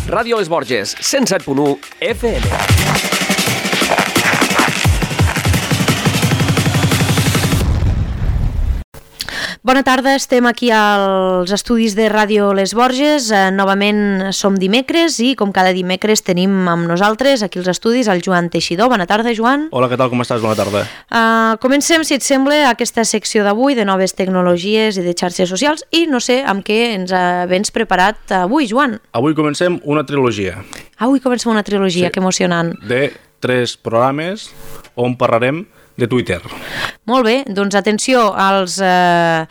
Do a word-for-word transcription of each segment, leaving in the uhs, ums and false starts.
Ràdio Les Borges, cent set punt u F M. Bona tarda, estem aquí als estudis de Ràdio Les Borges. Eh, novament som dimecres i com cada dimecres tenim amb nosaltres aquí als estudis el Joan Teixidor. Bona tarda, Joan. Hola, què tal? Com estàs? Bona tarda. Uh, comencem, si et sembla, aquesta secció d'avui de noves tecnologies i de xarxes socials i no sé amb què ens vens preparat avui, Joan. Avui comencem una trilogia. Avui comencem una trilogia, sí. Que emocionant. De tres programes on parlarem de Twitter. Molt bé, doncs atenció als, eh,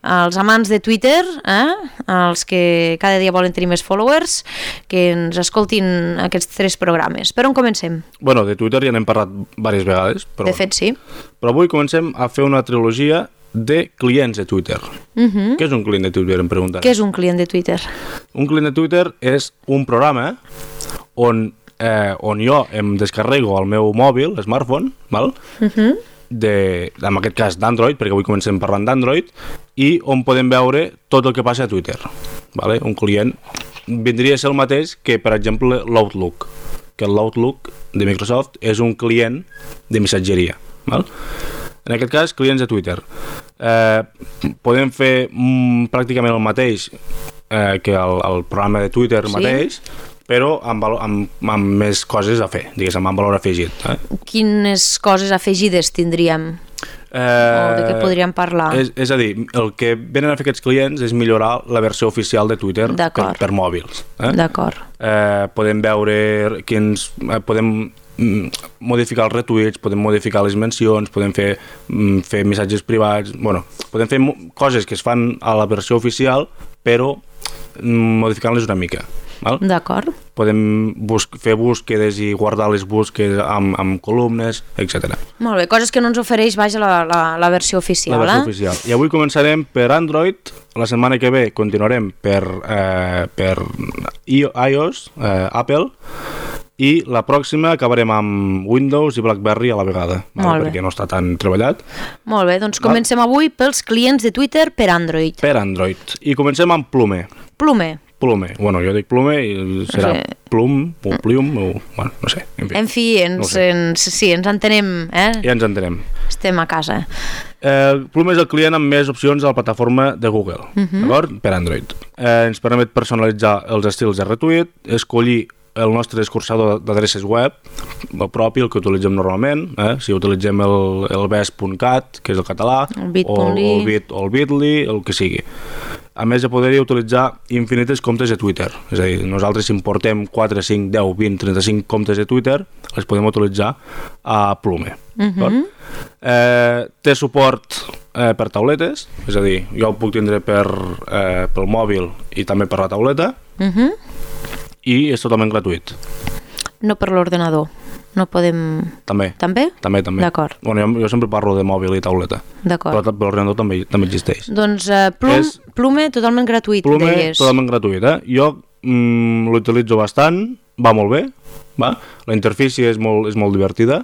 als amants de Twitter, eh? Els que cada dia volen tenir més followers, que ens escoltin aquests tres programes. Per on comencem? Bueno, de Twitter ja n'hem parlat diverses vegades. Però, de fet, sí. Però avui comencem a fer una trilogia de clients de Twitter. Uh-huh. Què és un client de Twitter, em pregunten? Què és un client de Twitter? Un client de Twitter és un programa on Eh, on jo em descarrego al meu mòbil, smartphone, val? Uh-huh. de, en aquest cas d'Android, perquè avui comencem parlant d'Android, i on podem veure tot el que passa a Twitter. Vale? Un client vindria a ser el mateix que, per exemple, l'Outlook, que l'Outlook de Microsoft és un client de missatgeria. Val? En aquest cas, clients de Twitter. Eh, podem fer mm, pràcticament el mateix eh, que el, el programa de Twitter sí. mateix, però amb, amb, amb més coses a fer, diguéssim, amb valor afegit. Eh? Quines coses afegides tindríem? Eh, o de què podríem parlar? És, és a dir, el que venen a fer aquests clients és millorar la versió oficial de Twitter per, per mòbils. Eh? D'acord. Eh, podem veure quins... Eh, podem modificar els retuits, podem modificar les mencions, podem fer, fer missatges privats, bueno, podem fer coses que es fan a la versió oficial, però modificant-les una mica. D'acord. Podem bus- fer búsquedes i guardar les búsquedes amb, amb columnes, etcètera. Molt bé, coses que no ens ofereix, vaja, la, la, la versió oficial. La versió eh? oficial. I avui començarem per Android, la setmana que ve continuarem per, eh, per iOS, eh, Apple, i la pròxima acabarem amb Windows i BlackBerry a la vegada, val? Perquè no està tan treballat. Molt bé, doncs comencem val? avui pels clients de Twitter per Android. Per Android. I comencem amb Plume. Plume. Plume. Bueno, jo dic Plume i serà sí. Plum o Plium o... Bueno, no sé. En fi, en fi ens, no sé. ens, sí, ens entenem. Eh? Ja ens entenem. Estem a casa. Eh, Plume és el client amb més opcions a la plataforma de Google, uh-huh. d'acord? Per Android. Eh, ens permet personalitzar els estils de retweet, escollir el nostre escurçador d'adreces web, el propi, el que utilitzem normalment, eh? Si utilitzem el, el bes punt cat, que és el català, el bit o, o el bit o el bitly, el que sigui. A més, ja podria utilitzar infinites comptes de Twitter. És a dir, nosaltres si importem quatre, cinc, deu, vint, trenta-cinc comptes de Twitter, les podem utilitzar a Plume. Uh-huh. Eh, té suport eh, per tauletes, és a dir, jo ho puc tindre per, eh, pel mòbil i també per la tauleta, uh-huh. i és totalment gratuït. No per l'ordenador. No podem... També. També? També, també. D'acord. Bueno, jo, jo sempre parlo de mòbil i tauleta. D'acord. Però l'ordenador també, també existeix. Doncs uh, Plum, és... Plume totalment gratuït, Plume, deies. totalment gratuït, eh? Jo mm, l'utilitzo bastant, va molt bé, va? La interfície és molt, és molt divertida,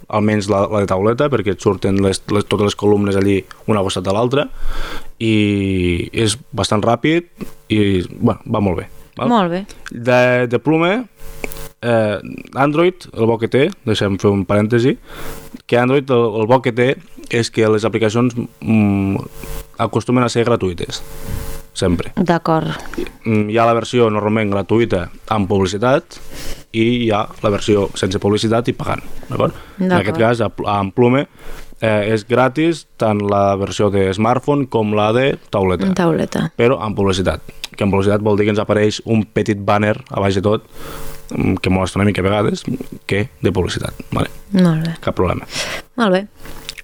almenys la, la de tauleta, perquè et surten les, les, totes les columnes allí una costat de l'altra, i és bastant ràpid i, bueno, va molt bé. Val? Molt bé. De, de Plume... Eh, Android, el bo que té, deixem fer un parèntesi, que Android el, el bo que té és que les aplicacions mm, acostumen a ser gratuïtes, sempre. D'acord. Hi ha la versió normalment gratuïta amb publicitat i hi ha la versió sense publicitat i pagant, d'acord? En aquest cas, amb Plume eh, és gratis tant la versió de smartphone com la de tauleta, tauleta. Però amb publicitat, que amb publicitat vol dir que ens apareix un petit banner a baix de tot que molesta una mica a vegades, que de publicitat. Vale. Molt bé. Cap problema. Molt bé.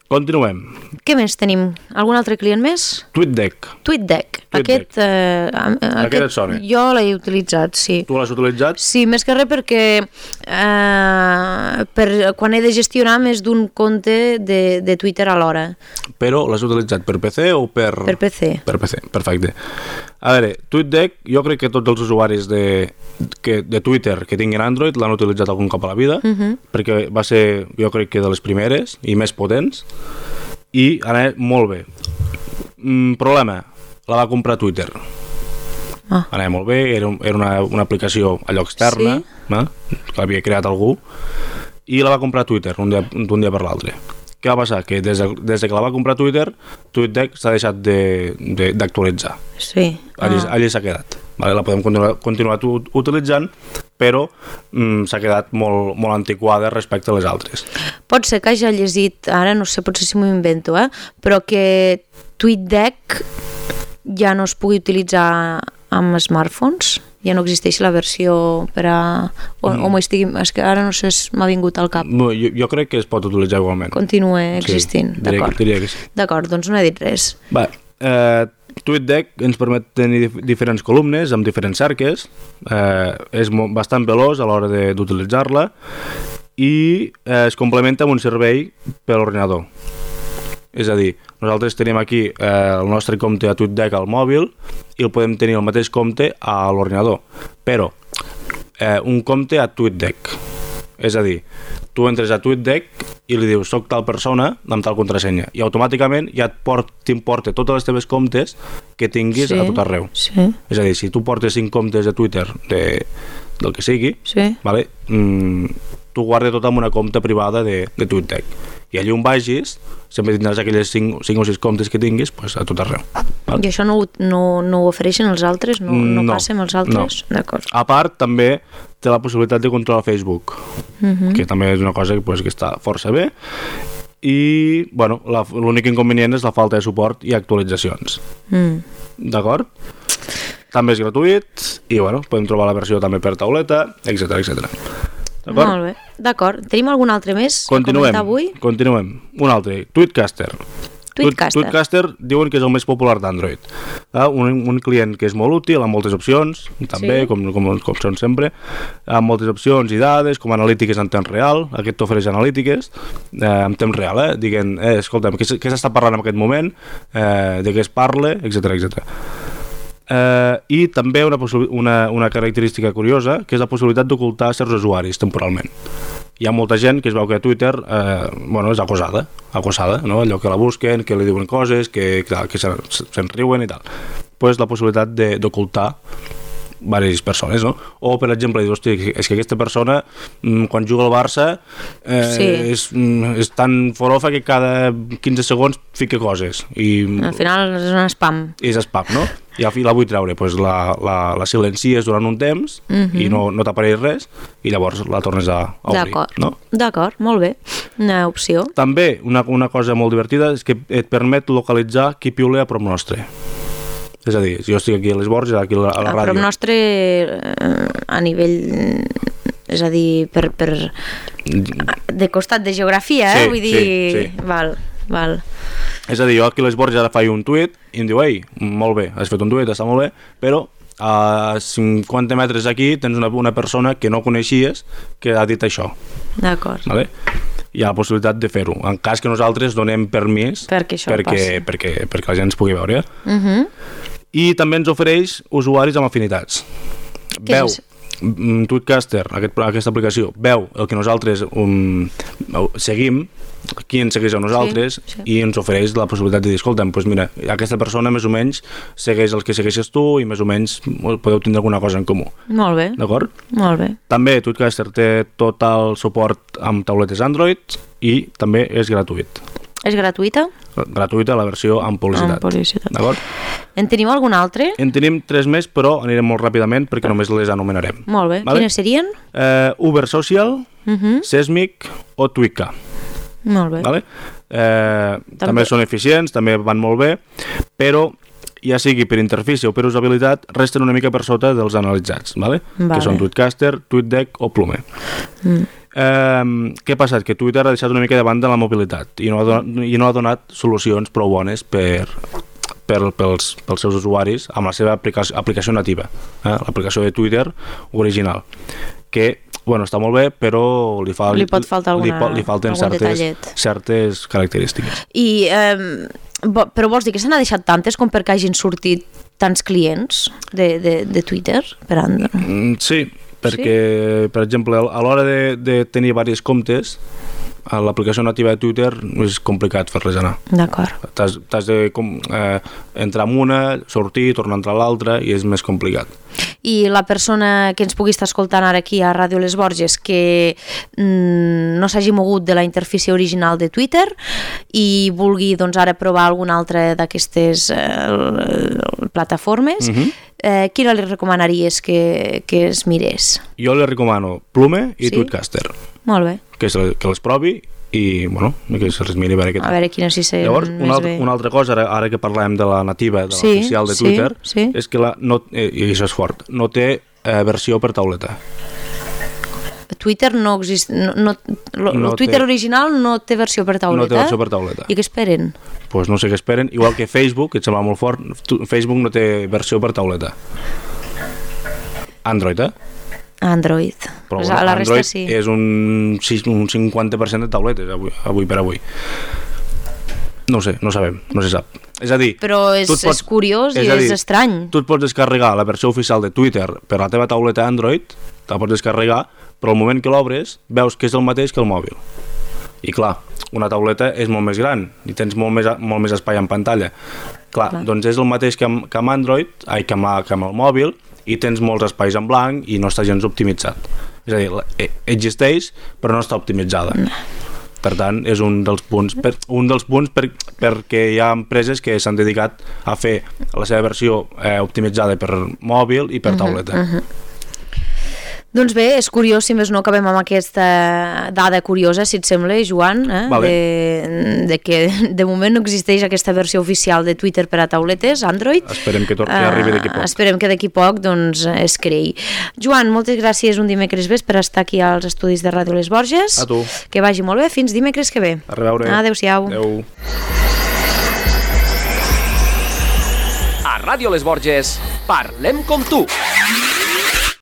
Continuem. Què més tenim? Algun altre client més? TweetDeck. TweetDeck. Aquest, eh, aquest, aquest et sona? Jo l'he utilitzat, sí. Tu l'has utilitzat? Sí, més que res perquè eh, per, quan he de gestionar més d'un compte de, de Twitter alhora. Però l'has utilitzat per P C o per... Per P C. Per P C, perfecte. A veure, TweetDeck, jo crec que tots els usuaris de, que, de Twitter que tinguin Android l'han utilitzat algun cop a la vida, uh-huh. perquè va ser, jo crec que de les primeres i més potents, i anava molt bé. Mm, problema, la va comprar Twitter. Ah. Anava molt bé, era, un, era una, una aplicació allò externa, Sí. eh? que l'havia creat algú, i la va comprar Twitter un dia, d'un dia per l'altre. Què va passar? Que des de, des de que la va comprar Twitter, TweetDeck s'ha deixat de, de, d'actualitzar. Sí. Allí, Ah. allí s'ha quedat. Vale? La podem continuar, continuar tu, utilitzant, però mm, s'ha quedat molt, molt antiquada respecte a les altres. Pot ser que hagi llegit, ara no sé, potser si m'ho invento, eh? però que TweetDeck ja no es pugui utilitzar amb smartphones? Ja no existeix la versió per a... O, mm. o m'ho estigui... És que ara no sé, m'ha vingut al cap. No, jo, jo crec que es pot utilitzar igualment. Continua existint, sí, diria, d'acord. diria que sí. D'acord, doncs no he dit res. Va, eh, TweetDeck ens permet tenir dif diferents columnes amb diferents cerques, eh, és bastant veloç a l'hora d'utilitzar-la i eh, es complementa amb un servei per l'ordinador. És a dir, nosaltres tenim aquí eh, el nostre compte a TweetDeck al mòbil i el podem tenir el mateix compte a l'ordinador, però eh, un compte a TweetDeck. És a dir, tu entres a TweetDeck i li dius soc tal persona amb tal contrasenya i automàticament ja t'importa totes les teves comptes que tinguis Sí, a tot arreu. sí. És a dir, si tu portes cinc comptes de Twitter de, del que sigui, Sí. vale? mm, tu guardes tot amb una compte privada de, de TweetDeck i allí on vagis sempre tindràs aquelles cinc o sis comptes que tinguis pues, a tot arreu. Val? I això no, ho- no, no ho ofereixen els altres? No, no, No, passa amb els altres? no. D'acord. A part, també té la possibilitat de controlar Facebook, Mhm. que també és una cosa pues, que està força bé. I, bueno, la- l'únic inconvenient és la falta de suport i actualitzacions. Mm. D'acord? També és gratuït i, bueno, podem trobar la versió també per tauleta, etcètera, etcètera. D'acord? Molt bé, d'acord. Tenim algun altre més a Continuem, comentar avui? continuem. Un altre, Tweetcaster. Tweetcaster. Tweetcaster diuen que és el més popular d'Android. Ah, un, un client que és molt útil, amb moltes opcions, també, Sí. com, com, com són sempre, amb moltes opcions i dades, com analítiques en temps real. Aquest t'ofereix analítiques eh, en temps real, eh? Diguent, eh, escolta'm, què, s- què s'està parlant en aquest moment, eh, de què es parla, etcètera, etcètera. Eh, i també una, possi- una, una característica curiosa, que és la possibilitat d'ocultar certs usuaris temporalment. Hi ha molta gent que es veu que a Twitter eh, bueno, és acosada, acosada, no? Allò que la busquen, que li diuen coses, que, que, que se'n se riuen i tal. Pues la possibilitat de- d'ocultar diverses persones, no? O, per exemple, dir, hosti, és que aquesta persona, mm, quan juga al Barça, eh, Sí. és, mm, és tan forofa que cada quinze segons fica coses. I Al final és un spam. és spam, no? I al fi la vull treure, pues la, la, la silencies durant un temps Mhm. i no, no t'apareix res i llavors la tornes a, a obrir. D'acord, No? d'acord, molt bé. Una opció. També una, una cosa molt divertida és que et permet localitzar qui piula a prop nostre. És a dir, si jo estic aquí a les Borges, aquí a la, a la A prop ràdio... nostre eh, a nivell, és a dir, per, per de costat de geografia, eh? Sí, Vull dir, sí, sí. val, val. És a dir, jo aquí a les Borges ara faig un tuit i em diu, ei, molt bé, has fet un tuit, està molt bé, però a cinquanta metres aquí tens una, una persona que no coneixies que ha dit això. D'acord. Vale? Hi ha la possibilitat de fer-ho, en cas que nosaltres donem permís Perquè això perquè, passi. perquè, perquè la gent es pugui veure. Mhm. I també ens ofereix usuaris amb afinitats. Què Veu, és mm, Tweetcaster, aquest, aquesta aplicació, veu el que nosaltres um, seguim, qui ens segueix a nosaltres, Sí, sí. i ens ofereix la possibilitat de dir, escolta'm, doncs mira, aquesta persona més o menys segueix els que segueixes tu i més o menys podeu tindre alguna cosa en comú. Molt bé, D'acord? molt bé. També Tweetcaster té tot el suport amb tauletes Android i també és gratuït. És gratuïta? Gratuïta la versió amb publicitat. Amb publicitat. D'acord? En tenim algun altre? En tenim tres més, però anirem molt ràpidament perquè només les anomenarem. Molt bé. Vale. Quines serien? Eh, Uber Social, Mhm. Sesmic o Twika. Molt bé. Vale? Eh, també. També. també són eficients, també van molt bé, però ja sigui per interfície o per usabilitat, resten una mica per sota dels analitzats, vale? Vale. Que són Tweetcaster, TweetDeck o Plume. Mm. Eh, què ha passat? Que Twitter ha deixat una mica de banda la mobilitat i no ha donat, i no ha donat solucions prou bones per, per, pels, pels seus usuaris amb la seva aplicació, aplicació nativa, eh? L'aplicació de Twitter original, que bueno, està molt bé, però li, fa, Li pot faltar li, alguna- li falten algun certes, detallet. certes característiques. I, eh, bo- però vols dir que se n'ha deixat tantes com perquè hagin sortit tants clients de, de, de Twitter per Android? Mm, sí, perquè, per exemple, a l'hora de, de tenir diversos comptes, a l'aplicació nativa de Twitter és complicat fer-les anar. D'acord. T'has, t'has de com, eh, entrar en una, sortir, tornar a entrar a l'altra i és més complicat. I la persona que ens pugui estar escoltant ara aquí a Ràdio Les Borges que mm, no s'hagi mogut de la interfície original de Twitter i vulgui doncs, ara provar alguna altra d'aquestes eh, plataformes, uh-huh. eh, quina li recomanaries que, que es mirés? Jo li recomano Plume i sí? Tweetcaster. Molt bé. Que, se, que les provi i, bueno, que se les miri a veure què tal. A veure quina si sé Llavors, més una, altra, bé. una altra cosa, ara, ara que parlem de la nativa, de sí, l'oficial de sí, Twitter, sí. és que la, no, eh, i això és fort, no té eh, versió per tauleta. Twitter no exist... No, no, lo, no el Twitter té, original no té versió per tauleta? No té versió per tauleta. I què esperen? Doncs pues no sé què esperen. Igual que Facebook, que et sembla molt fort, Facebook no té versió per tauleta. Android, eh? Android. Però pues bueno, a la Android resta sí. És un, un cinquanta per cent de tauletes avui, avui per avui. No ho sé, no sabem, no se sap. És a dir... Però és, pots, és curiós és i dir, és estrany. Tu et pots descarregar la versió oficial de Twitter per la teva tauleta Android, te la pots descarregar, però al moment que l'obres veus que és el mateix que el mòbil. I clar, una tauleta és molt més gran i tens molt més, molt més espai en pantalla. Clar, clar. Doncs és el mateix que amb, que amb Android, ai, que amb, que amb el mòbil, i tens molts espais en blanc i no està gens optimitzat. És a dir, existeix però no està optimitzada. No. Per tant, és un dels punts, per, un dels punts per, perquè hi ha empreses que s'han dedicat a fer la seva versió eh, optimitzada per mòbil i per tauleta. Uh-huh, uh-huh. Doncs bé, és curiós, si més no, acabem amb aquesta dada curiosa, si et sembla, Joan, eh? Vale. de, de que de moment no existeix aquesta versió oficial de Twitter per a tauletes, Android. Esperem que, que arribi d'aquí poc. Uh, esperem que d'aquí poc doncs, es creï. Joan, moltes gràcies un dimecres més per estar aquí als estudis de Ràdio Les Borges. A tu. Que vagi molt bé, fins dimecres que ve. A reveure. Adéu-siau. Adéu. A Ràdio Les Borges, parlem com tu.